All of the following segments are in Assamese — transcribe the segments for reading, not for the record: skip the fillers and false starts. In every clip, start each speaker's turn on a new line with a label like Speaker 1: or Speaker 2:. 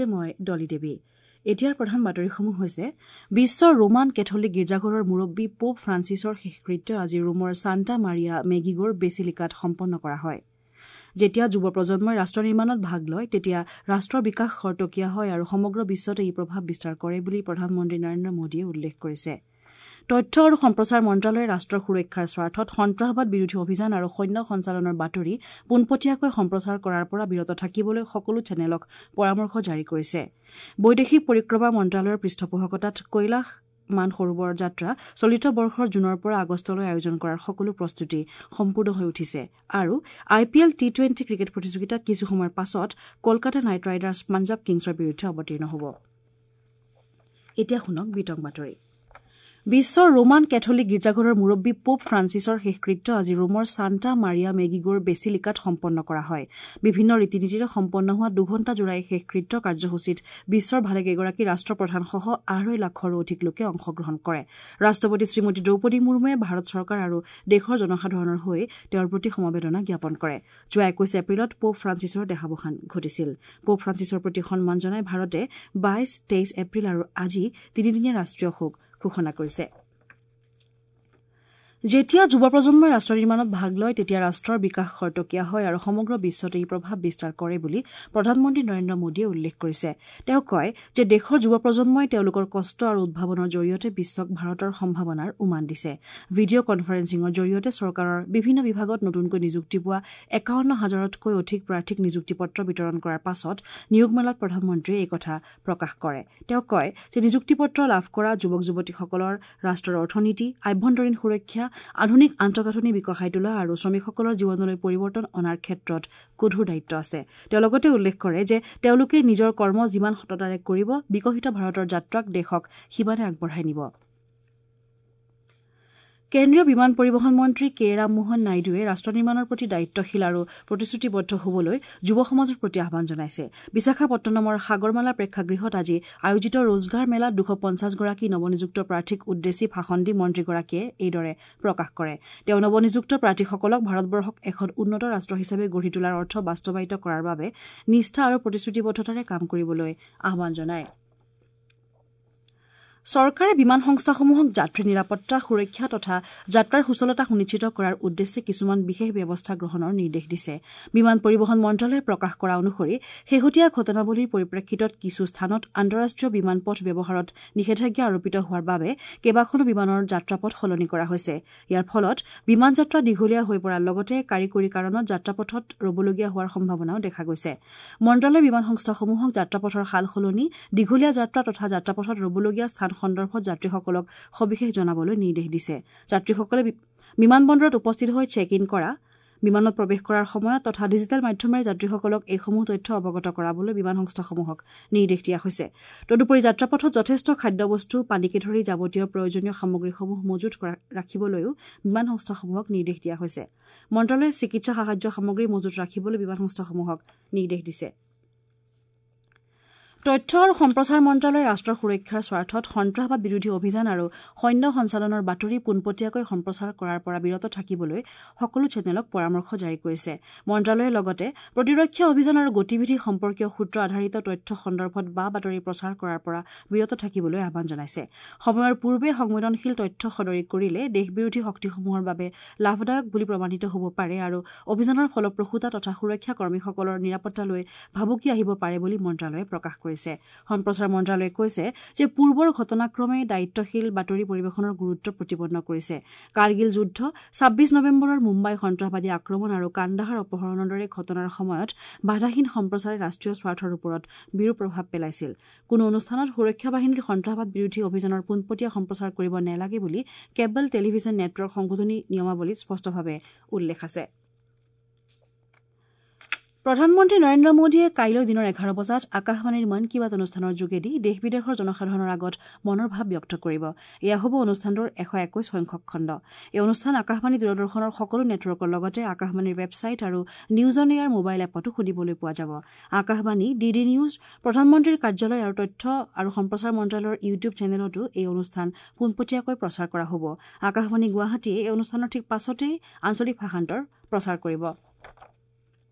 Speaker 1: সৈতে মই ডলি দেৱী। এতিয়াৰ প্ৰধান বাতৰিসমূহ হৈছে: বিশ্বৰ ৰোমান কেথলিক গীৰ্জাঘৰৰ মুৰব্বী পোপ ফ্ৰান্সিছৰ শেষকৃত্য আজি ৰোমৰ ছান্টা মাৰিয়া মেগিগোৰ বেচিলিকাত সম্পন্ন কৰা হয়। যেতিয়া যুৱ প্ৰজন্মই ৰাষ্ট্ৰ নিৰ্মাণত ভাগ লয়, তেতিয়া ৰাষ্ট্ৰৰ বিকাশ খৰতকীয়া হয় আৰু সমগ্ৰ বিশ্বতে ই প্ৰভাৱ বিস্তাৰ কৰে বুলি প্ৰধানমন্ত্ৰী নৰেন্দ্ৰ মোদীয়ে উল্লেখ কৰিছে। তথ্য আৰু সম্প্ৰচাৰ মন্ত্ৰালয়ে ৰাষ্ট্ৰৰ সুৰক্ষাৰ স্বাৰ্থত সন্ত্ৰাসবাদ বিৰোধী অভিযান আৰু সৈন্য সঞ্চালনৰ বাতৰি পোনপটীয়াকৈ সম্প্ৰচাৰ কৰাৰ পৰা বিৰত থাকিবলৈ সকলো চেনেলক পৰামৰ্শ জাৰি কৰিছে। বৈদেশিক পৰিক্ৰমা মন্ত্ৰালয়ৰ পৃষ্ঠপোষকতাত কৈলাশ মানসৰোবৰ যাত্ৰা চলিত বৰ্ষৰ জুনৰ পৰা আগষ্টলৈ আয়োজন কৰাৰ সকলো প্ৰস্তুতি সম্পূৰ্ণ হৈ উঠিছে। আৰু আই পি এল টি-20 ক্ৰিকেট প্ৰতিযোগিতাত কিছু সময়ৰ পাছত কলকাতা নাইট ৰাইডাৰ্ছ পাঞ্জাৱ কিংছৰ বিৰুদ্ধে অৱতীৰ্ণ হ'ব। এতিয়া শুনক বিতং বাতৰি। বিশ্বৰ ৰোমান কেথলিক গীৰ্জাঘৰৰ মুৰব্বী পোপ ফ্ৰান্সিছৰ শেষকৃত্য আজি ৰোমৰ ছান্টা মাৰিয়া মেগিগোৰ বেচিলিকাত সম্পন্ন কৰা হয়। বিভিন্ন ৰীতি নীতিৰে সম্পন্ন হোৱা 2 ঘণ্টা জোৰা এই শেষকৃত্য কাৰ্যসূচীত বিশ্বৰ ভালেকেইগৰাকী ৰাষ্ট্ৰপ্ৰধানসহ 2.5 লাখৰো অধিক লোকে অংশগ্ৰহণ কৰে। ৰাষ্ট্ৰপতি শ্ৰীমতী দ্ৰৌপদী মুৰ্মুৱে ভাৰত চৰকাৰ আৰু দেশৰ জনসাধাৰণৰ হৈ তেওঁৰ প্ৰতি সমবেদনা জ্ঞাপন কৰে। যোৱা 21 এপ্ৰিলত পোপ ফ্ৰান্সিছৰ দেহাৱসান ঘটিছিল। পোপ ফ্ৰান্সিছৰ প্ৰতি সন্মান জনাই ভাৰতে 22, 23 এপ্ৰিল আৰু আজি তিনিদিনীয়া ৰাষ্ট্ৰীয় শোক ঘোষণা কৰিছে। যেতিয়া যুৱ প্ৰজন্মই ৰাষ্ট্ৰ নিৰ্মাণত ভাগ লয়, তেতিয়া ৰাষ্ট্ৰৰ বিকাশ খৰতকীয়া হয় আৰু সমগ্ৰ বিশ্বতে ই প্ৰভাৱ বিস্তাৰ কৰে বুলি প্ৰধানমন্ত্ৰী নৰেন্দ্ৰ মোদীয়ে উল্লেখ কৰিছে। তেওঁ কয় যে দেশৰ যুৱ প্ৰজন্মই তেওঁলোকৰ কষ্ট আৰু উদ্ভাৱনৰ জৰিয়তে বিশ্বক ভাৰতৰ সম্ভাৱনাৰ উমান দিছে। ভিডিঅ' কনফাৰেন্সিঙৰ জৰিয়তে চৰকাৰৰ বিভিন্ন বিভাগত নতুনকৈ নিযুক্তি পোৱা 51 হাজাৰতকৈ অধিক প্ৰাৰ্থীক নিযুক্তি পত্ৰ বিতৰণ কৰাৰ পাছত নিয়োগ মেলাত প্ৰধানমন্ত্ৰীয়ে এই কথা প্ৰকাশ কৰে। তেওঁ কয় যে নিযুক্তি পত্ৰ লাভ কৰা যুৱক যুৱতীসকলৰ ৰাষ্ট্ৰৰ অৰ্থনীতি, আভ্যন্তৰীণ সুৰক্ষা, আধুনিক আন্তঃগাঁথনি বিকশাই তোলা আৰু শ্ৰমিকসকলৰ জীৱনলৈ পৰিৱৰ্তন অনাৰ ক্ষেত্ৰত গধুৰ দায়িত্ব আছে। তেওঁ লগতে উল্লেখ কৰে যে তেওঁলোকে নিজৰ কৰ্ম যিমান সততাৰে কৰিব, বিকশিত ভাৰতৰ যাত্ৰাক দেশক সিমানে আগবঢ়াই নিব। কেন্দ্ৰীয় বিমান পৰিবহণ মন্ত্ৰী কে ৰামমোহন নাইডুৱে ৰাষ্ট্ৰ নিৰ্মাণৰ প্ৰতি দায়িত্বশীল আৰু প্ৰতিশ্ৰুতিবদ্ধ হ'বলৈ যুৱ সমাজৰ প্ৰতি আহ্বান জনাইছে। বিশাখাপট্টনমৰ সাগৰমালা প্ৰেক্ষাগৃহত আজি আয়োজিত ৰোজগাৰ মেলাত 250গৰাকী নৱনিযুক্ত প্ৰাৰ্থীক উদ্দেশ্যি ভাষণ দি মন্ত্ৰীগৰাকীয়ে এইদৰে প্ৰকাশ কৰে। তেওঁ নৱনিযুক্ত প্ৰাৰ্থীসকলক ভাৰতবৰ্ষক এখন উন্নত ৰাষ্ট্ৰ হিচাপে গঢ়ি তোলাৰ অৰ্থ বাস্তৱায়িত কৰাৰ বাবে নিষ্ঠা আৰু প্ৰতিশ্ৰুতিবদ্ধতাৰে কাম কৰিবলৈ আহ্বান জনায়। চৰকাৰে বিমান সংস্থাসমূহক যাত্ৰী নিৰাপত্তা, সুৰক্ষা তথা যাত্ৰাৰ সুচলতা সুনিশ্চিত কৰাৰ উদ্দেশ্যে কিছুমান বিশেষ ব্যৱস্থা গ্ৰহণৰ নিৰ্দেশ দিছে। বিমান পৰিবহণ মন্ত্ৰালয়ে প্ৰকাশ কৰা অনুসৰি শেহতীয়া ঘটনাৱলীৰ পৰিপ্ৰেক্ষিতত কিছু স্থানত আন্তঃৰাষ্ট্ৰীয় বিমান পথ ব্যৱহাৰত নিষেধাজ্ঞা আৰোপিত হোৱাৰ বাবে কেইবাখনো বিমানৰ যাত্ৰাপথ সলনি কৰা হৈছে। ইয়াৰ ফলত বিমান যাত্ৰা দীঘলীয়া হৈ পৰাৰ লগতে কাৰিকৰী কাৰণত যাত্ৰাপথত ৰবলগীয়া হোৱাৰ সম্ভাৱনাও দেখা গৈছে। মন্ত্ৰালয়ে বিমান সংস্থাসমূহক যাত্ৰাপথৰ সাল সলনি, দীঘলীয়া যাত্ৰা তথা যাত্ৰাপথত ৰবলগীয়া স্থান সন্দৰ্ভত যাত্ৰীসকলক সবিশেষ জনাবলৈ নিৰ্দেশ দিছে। যাত্ৰীসকলে বিমানবন্দৰত উপস্থিত হৈ চেক ইন কৰা, বিমানত প্ৰৱেশ কৰাৰ সময়ত তথা ডিজিটেল মাধ্যমেৰে যাত্ৰীসকলক এইসমূহ তথ্য অৱগত কৰাবলৈ বিমান সংস্থাসমূহক নিৰ্দেশ দিয়া হৈছে। তদুপৰি যাত্ৰাপথত যথেষ্ট খাদ্যবস্তু, পানীকে ধৰি যাৱতীয় প্ৰয়োজনীয় সামগ্ৰীসমূহ মজুত ৰাখিবলৈও বিমান সংস্থাসমূহক নিৰ্দেশ দিয়া হৈছে। মন্ত্ৰালয়ে চিকিৎসা সাহায্য সামগ্ৰী মজুত ৰাখিবলৈ বিমান সংস্থাসমূহক নিৰ্দেশ দিছে। তথ্য আৰু সম্প্ৰচাৰ মন্ত্ৰালয়ে ৰাষ্ট্ৰৰ সুৰক্ষাৰ স্বাৰ্থত সন্ত্ৰাসবাদ বিৰোধী অভিযান আৰু সৈন্য সঞ্চালনৰ বাতৰি পোনপটীয়াকৈ সম্প্ৰচাৰ কৰাৰ পৰা বিৰত থাকিবলৈ সকলো চেনেলক পৰামৰ্শ জাৰি কৰিছে। মন্ত্ৰালয়ে লগতে প্ৰতিৰক্ষা অভিযান আৰু গতিবিধি সম্পৰ্কীয় সূত্ৰ আধাৰিত তথ্য সন্দৰ্ভত বা বাতৰি প্ৰচাৰ কৰাৰ পৰা বিৰত থাকিবলৈ আহ্বান জনাইছে। সময়ৰ পূৰ্বে সংবেদনশীল তথ্য সদৰি কৰিলে দেশবিৰোধী শক্তিসমূহৰ বাবে লাভদায়ক বুলি প্ৰমাণিত হ'ব পাৰে আৰু অভিযানৰ ফলপ্ৰসূতা তথা সুৰক্ষা কৰ্মীসকলৰ নিৰাপত্তালৈ ভাবুকি আহিব পাৰে বুলি মন্ত্ৰালয়ে প্ৰকাশ কৰিছে। সম্প্ৰচাৰ মন্ত্ৰালয়ে কৈছে যে পূৰ্বৰ ঘটনাক্ৰমে দায়িত্বশীল বাতৰি পৰিৱেশনৰ গুৰুত্ব প্ৰতিপন্ন কৰিছে। কাৰ্গিল যুদ্ধ, 26 নৱেম্বৰৰ মুম্বাই সন্ত্ৰাসবাদী আক্ৰমণ আৰু কান্দাহাৰ অপহৰণৰ দৰে ঘটনাৰ সময়ত বাধাহীন সম্প্ৰচাৰে ৰাষ্ট্ৰীয় স্বাৰ্থৰ ওপৰত বিৰূপ প্ৰভাৱ পেলাইছিল। কোনো অনুষ্ঠানত সুৰক্ষা বাহিনীৰ সন্ত্ৰাসবাদ বিৰোধী অভিযানৰ পোনপটীয়া সম্প্ৰচাৰ কৰিব নালাগে বুলি কেবল টেলিভিছন নেটৱৰ্ক সংশোধনী নিয়মাৱলীত স্পষ্টভাৱে উল্লেখ আছে। প্ৰধানমন্ত্ৰী নৰেন্দ্ৰ মোদীয়ে কাইলৈ দিনৰ 11 বজাত আকাশবাণীৰ মন কী বাত অনুষ্ঠানৰ যোগেদি দেশ বিদেশৰ জনসাধাৰণৰ আগত মনৰ ভাৱ ব্যক্ত কৰিব। এয়া হ'ব অনুষ্ঠানটোৰ 121 সংখ্যক খণ্ড। এই অনুষ্ঠান আকাশবাণী, দূৰদৰ্শনৰ সকলো নেটৱৰ্কৰ লগতে আকাশবাণীৰ ৱেবছাইট আৰু নিউজ অন এয়াৰ মোবাইল এপতো শুনিবলৈ পোৱা যাব। আকাশবাণী, ডি ডি নিউজ, প্ৰধানমন্ত্ৰীৰ কাৰ্যালয় আৰু তথ্য আৰু সম্প্ৰচাৰ মন্ত্ৰালয়ৰ ইউটিউব চেনেলতো এই অনুষ্ঠান পোনপটীয়াকৈ প্ৰচাৰ কৰা হ'ব। আকাশবাণী গুৱাহাটীয়ে এই অনুষ্ঠানৰ ঠিক পাছতেই আঞ্চলিক ভাষান্তৰ প্ৰচাৰ কৰিব।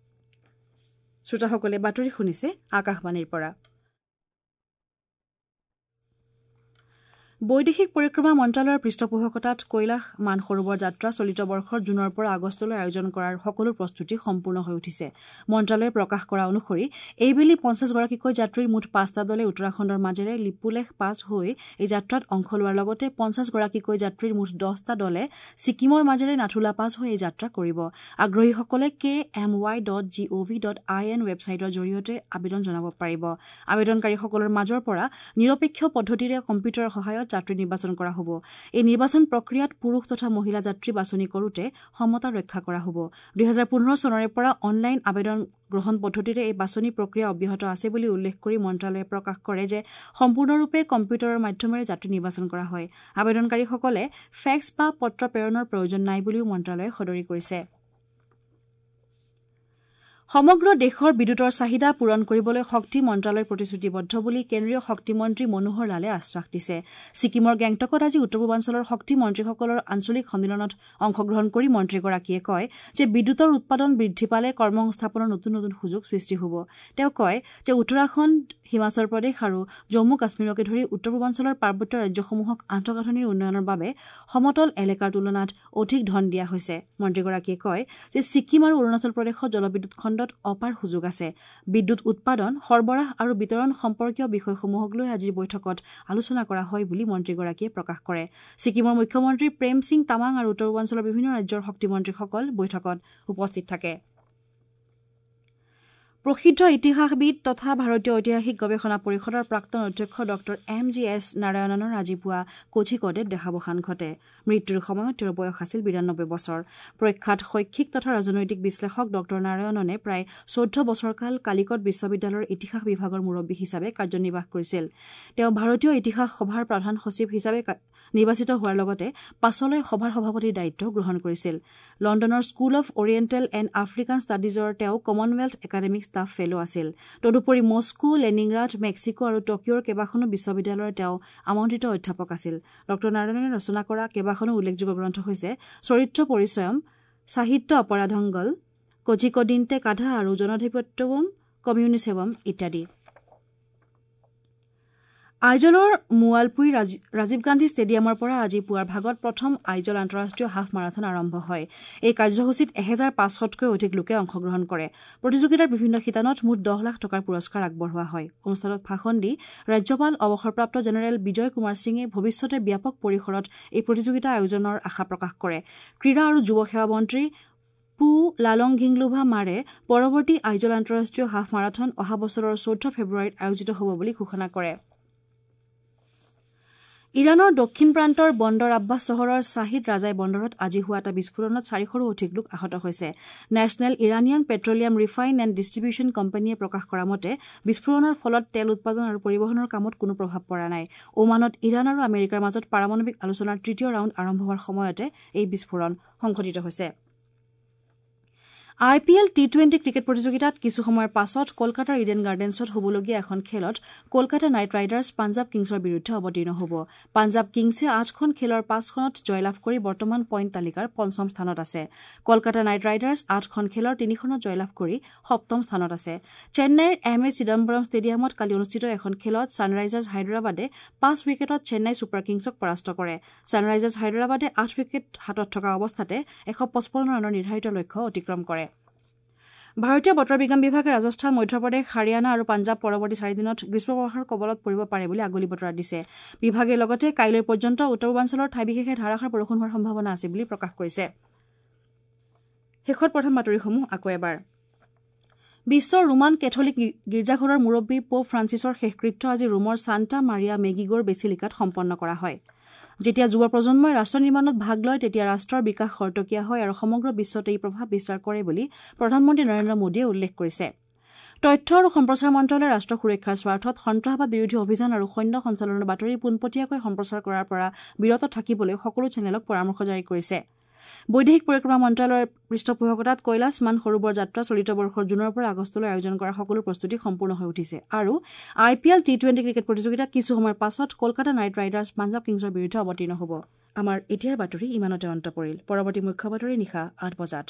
Speaker 1: শ্ৰোতাসকলে বাতৰি শুনিছে আকাশবাণীৰ পৰা। বৈদেশিক পৰিক্ৰমা মন্ত্ৰালয়ৰ পৃষ্ঠপোষকতাত কৈলাশ মানসৰোবৰ যাত্ৰা চলিত বৰ্ষৰ জুনৰ পৰা আগষ্টলৈ আয়োজন কৰাৰ সকলো প্ৰস্তুতি সম্পূৰ্ণ হৈ উঠিছে। মন্ত্ৰালয়ে প্ৰকাশ কৰা অনুসৰি এইবেলি 50গৰাকীকৈ যাত্ৰীৰ মুঠ 5টা দলে উত্তৰাখণ্ডৰ মাজেৰে লিপুলেখ পাছ হৈ এই যাত্ৰাত অংশ লোৱাৰ লগতে 50গৰাকীকৈ যাত্ৰীৰ মুঠ 10টা দলে ছিকিমৰ মাজেৰে নাথুলা পাছ হৈ এই যাত্ৰা কৰিব। আগ্ৰহীসকলে kmy.gov.in ৱেবছাইটৰ জৰিয়তে আবেদন জনাব পাৰিব। আবেদনকাৰীসকলৰ মাজৰ পৰা নিৰপেক্ষ পদ্ধতিৰে কম্পিউটাৰৰ সহায়ত যাত্ৰী নিৰ্বাচন কৰা হ'ব। এই নিৰ্বাচন প্ৰক্ৰিয়াত পুৰুষ তথা মহিলা যাত্ৰী বাছনি কৰোঁতে সমতা ৰক্ষা কৰা হ'ব। 2015 চনৰে পৰা অনলাইন আবেদন গ্ৰহণ পদ্ধতিৰে এই বাছনি প্ৰক্ৰিয়া অব্যাহত আছে বুলি উল্লেখ কৰি মন্ত্ৰালয়ে প্ৰকাশ কৰে যে সম্পূৰ্ণৰূপে কম্পিউটাৰৰ মাধ্যমেৰে যাত্ৰী নিৰ্বাচন কৰা হয়। আবেদনকাৰীসকলে ফেক্স বা পত্ৰ প্ৰেৰণৰ প্ৰয়োজন নাই বুলিও মন্ত্ৰালয়ে সদৰি কৰিছে। সমগ্ৰ দেশৰ বিদ্যুতৰ চাহিদা পূৰণ কৰিবলৈ শক্তি মন্ত্ৰালয় প্ৰতিশ্ৰুতিবদ্ধ বুলি কেন্দ্ৰীয় শক্তিমন্ত্ৰী মনোহৰ লালে আশ্বাস দিছে। ছিকিমৰ গেংটকত আজি উত্তৰ পূৰ্বাঞ্চলৰ শক্তি মন্ত্ৰীসকলৰ আঞ্চলিক সন্মিলনত অংশগ্ৰহণ কৰি মন্ত্ৰীগৰাকীয়ে কয় যে বিদ্যুতৰ উৎপাদন বৃদ্ধি পালে কৰ্মসংস্থাপনৰ নতুন নতুন সুযোগ সৃষ্টি হ'ব। তেওঁ কয় যে উত্তৰাখণ্ড, হিমাচল প্ৰদেশ আৰু জম্মু কাশ্মীৰকে ধৰি উত্তৰ পূৰ্বাঞ্চলৰ পাৰ্বত্য ৰাজ্যসমূহক আন্তঃগাঁথনিৰ উন্নয়নৰ বাবে সমতল এলেকাৰ তুলনাত অধিক ধন দিয়া হৈছে। মন্ত্ৰীগৰাকীয়ে কয় যে ছিকিম আৰু অৰুণাচল প্ৰদেশত জলবিদ্যুৎ খণ্ডত অপাৰ সুযোগ আছে। বিদ্যুৎ উৎপাদন, সৰবৰাহ আৰু বিতৰণ সম্পৰ্কীয় বিষয়সমূহক লৈ আজিৰ বৈঠকত আলোচনা কৰা হয় বুলি মন্ত্ৰীগৰাকীয়ে প্ৰকাশ কৰে। ছিকিমৰ মুখ্যমন্ত্ৰী প্ৰেম সিং তামাং আৰু উত্তৰ পূৰ্বাঞ্চলৰ বিভিন্ন ৰাজ্যৰ শক্তিমন্ত্ৰীসকল বৈঠকত উপস্থিত থাকে। প্ৰসিদ্ধ ইতিহাসবিদ তথা ভাৰতীয় ঐতিহাসিক গৱেষণা পৰিষদৰ প্ৰাক্তন অধ্যক্ষ ডঃ এম জি এছ নাৰায়ণনৰ আজি পুৱা কোঝিকোডেত দেহাৱসান ঘটে। মৃত্যুৰ সময়ত তেওঁৰ বয়স আছিল 92 বছৰ। প্ৰখ্যাত শৈক্ষিক তথা ৰাজনৈতিক বিশ্লেষক ডঃ নাৰায়ণনে প্ৰায় 14 বছৰকাল কালিকট বিশ্ববিদ্যালয়ৰ ইতিহাস বিভাগৰ মুৰব্বী হিচাপে কাৰ্যনিৰ্বাহ কৰিছিল। তেওঁ ভাৰতীয় ইতিহাস সভাৰ প্ৰধান সচিব হিচাপে নিৰ্বাচিত হোৱাৰ লগতে পাছলৈ সভাৰ সভাপতিৰ দায়িত্ব গ্ৰহণ কৰিছিল। লণ্ডনৰ school of oriental and African ষ্টাডিজৰ তেওঁ কমনৱেলথ একাডেমিক ষ্টাফ ফেল' আছিল। তদুপৰি মস্কো, লেনিনগ্ৰাড, মেক্সিকো আৰু টকিঅ'ৰ কেইবাখনো বিশ্ববিদ্যালয়ৰ তেওঁ আমন্ত্ৰিত অধ্যাপক আছিল। ডঃ নাৰায়ণনে ৰচনা কৰা কেইবাখনো উল্লেখযোগ্য গ্ৰন্থ হৈছে চৰিত্ৰ পৰিচয়ম, সাহিত্য অপৰাধংগল, কোঝিকোডিন্তে কাধা আৰু জনাধিপত্যৱম কমিউনিছেৱম ইত্যাদি। আইজলৰ মুৱালপুই ৰাজীৱ গান্ধী ষ্টেডিয়ামৰ পৰা আজি পুৱাৰ ভাগত প্ৰথম আইজল আন্তঃৰাষ্ট্ৰীয় হাফ মাৰাথন আৰম্ভ হয়। এই কাৰ্যসূচীত 1500তকৈ অধিক লোকে অংশগ্ৰহণ কৰে। প্ৰতিযোগিতাৰ বিভিন্ন শিতানত মুঠ 10 লাখ টকাৰ পুৰস্কাৰ আগবঢ়োৱা হয়। অনুষ্ঠানত ভাষণ দি ৰাজ্যপাল অৱসৰপ্ৰাপ্ত জেনেৰেল বিজয় কুমাৰ সিঙে ভৱিষ্যতে ব্যাপক পৰিসৰত এই প্ৰতিযোগিতা আয়োজনৰ আশা প্ৰকাশ কৰে। ক্ৰীড়া আৰু যুৱ সেৱা মন্ত্ৰী পু লালংঘিংলুভা মাৰে পৰৱৰ্তী আইজল আন্তঃৰাষ্ট্ৰীয় হাফ মাৰাথন অহা বছৰৰ 14 ফেব্ৰুৱাৰীত আয়োজিত হ'ব বুলি ঘোষণা কৰে। ইৰাণৰ দক্ষিণ প্ৰান্তৰ বন্দৰ আব্বাছ চহৰৰ শ্বাহিদ ৰাজাই বন্দৰত আজি হোৱা এটা বিস্ফোৰণত 400ৰো অধিক লোক আহত হৈছে। National Iranian petroleum refine and distribution কোম্পানীয়ে প্ৰকাশ কৰা মতে বিস্ফোৰণৰ ফলত তেল উৎপাদন আৰু পৰিবহণৰ কামত কোনো প্ৰভাৱ পৰা নাই। ওমানত ইৰাণ আৰু আমেৰিকাৰ মাজত পাৰমাণৱিক আলোচনাৰ তৃতীয় ৰাউণ্ড আৰম্ভ হোৱাৰ সময়তে এই বিস্ফোৰণ সংঘটিত হৈছে। I P L T20 cricket প্ৰতিযোগিতাত কিছু সময়ৰ পাছত কলকাতাৰ ইডেন গাৰ্ডেন্সত হ'বলগীয়া এখন খেলত কলকাতা নাইট ৰাইডাৰ্ছ পাঞ্জাৱ কিংছৰ বিৰুদ্ধে অৱতীৰ্ণ হ'ব। পাঞ্জাৱ কিংছে 8খন খেলৰ 5খনত জয়লাভ কৰি বৰ্তমান পইণ্ট তালিকাৰ পঞ্চম স্থানত আছে। কলকাতা নাইট ৰাইডাৰ্ছ 8খন খেলৰ 3খনত জয়লাভ কৰি সপ্তম স্থানত আছে। চেন্নাইৰ এম এ চিদাম্বৰম ষ্টেডিয়ামত কালি অনুষ্ঠিত এখন খেলত ছানৰাইজাৰ্ছ হায়দৰাবাদে 5 উইকেটত চেন্নাই ছুপাৰ কিংছক পৰাস্ত কৰে। ছানৰাইজাৰ্ছ হায়দৰাবাদে 8 উইকেট হাতত থকা অৱস্থাতে 155 ৰানৰ নিৰ্ধাৰিত লক্ষ্য অতিক্ৰম কৰে। ভাৰতীয় বতৰ বিজ্ঞান বিভাগে ৰাজস্থান, মধ্যপ্ৰদেশ, হাৰিয়ানা আৰু পাঞ্জাৱ পৰৱৰ্তী 4 দিনত গ্ৰীষ্মপ্ৰবাহৰ কবলত পৰিব পাৰে বুলি আগলি বতৰা দিছে। বিভাগে লগতে কাইলৈ পৰ্যন্ত উত্তৰ পূৰ্বাঞ্চলৰ ঠাই বিশেষে ধাৰাসাৰ বৰষুণ হোৱাৰ সম্ভাৱনা আছে বুলি প্ৰকাশ কৰিছে। শেষত প্ৰথম বাতৰিসমূহ আকৌ এবাৰ। বিশ্বৰ ৰোমান কেথলিক গীৰ্জাঘৰৰ মুৰব্বী পোপ ফ্ৰান্সিছৰ শেষকৃত্য আজি ৰোমৰ ছান্টা মাৰিয়া মেগিগোৰ বেচিলিকাত সম্পন্ন কৰা হয়। যেতিয়া যুৱ প্ৰজন্মই ৰাষ্ট্ৰ নিৰ্মাণত ভাগ লয় তেতিয়া ৰাষ্ট্ৰৰ বিকাশ খৰতকীয়া হয় আৰু সমগ্ৰ বিশ্বতে ই প্ৰভাৱ বিস্তাৰ কৰে বুলি প্ৰধানমন্ত্ৰী নৰেন্দ্ৰ মোদীয়ে উল্লেখ কৰিছে। তথ্য আৰু সম্প্ৰচাৰ মন্ত্ৰালয়ে ৰাষ্ট্ৰ সুৰক্ষাৰ স্বাৰ্থত সন্ত্ৰাসবাদ বিৰোধী অভিযান আৰু সৈন্য সঞ্চালনৰ বাতৰি পোনপটীয়াকৈ সম্প্ৰচাৰ কৰাৰ পৰা বিৰত থাকিবলৈ সকলো চেনেলক পৰামৰ্শ জাৰি কৰিছে। বৈদেশিক পৰিক্ৰমা মন্ত্ৰালয়ৰ পৃষ্ঠপোষকতাত কৈলাশ মান সৰোবৰ যাত্ৰা চলিত বৰ্ষৰ জুনৰ পৰা আগষ্টলৈ আয়োজন কৰা সকলো প্ৰস্তুতি সম্পূৰ্ণ হৈ উঠিছে। আৰু I P L T20 cricket প্ৰতিযোগিতাত কিছু সময়ৰ পাছত কলকাতা নাইট ৰাইডাৰ্ছ পাঞ্জাৱ কিংছৰ বিৰুদ্ধে অৱতীৰ্ণ হ'ব। আমাৰ এতিয়াৰ বাতৰি ইমানতে অন্ত পৰিল। পৰৱৰ্তী মুখ্য বাতৰি নিশা 8 বজাত।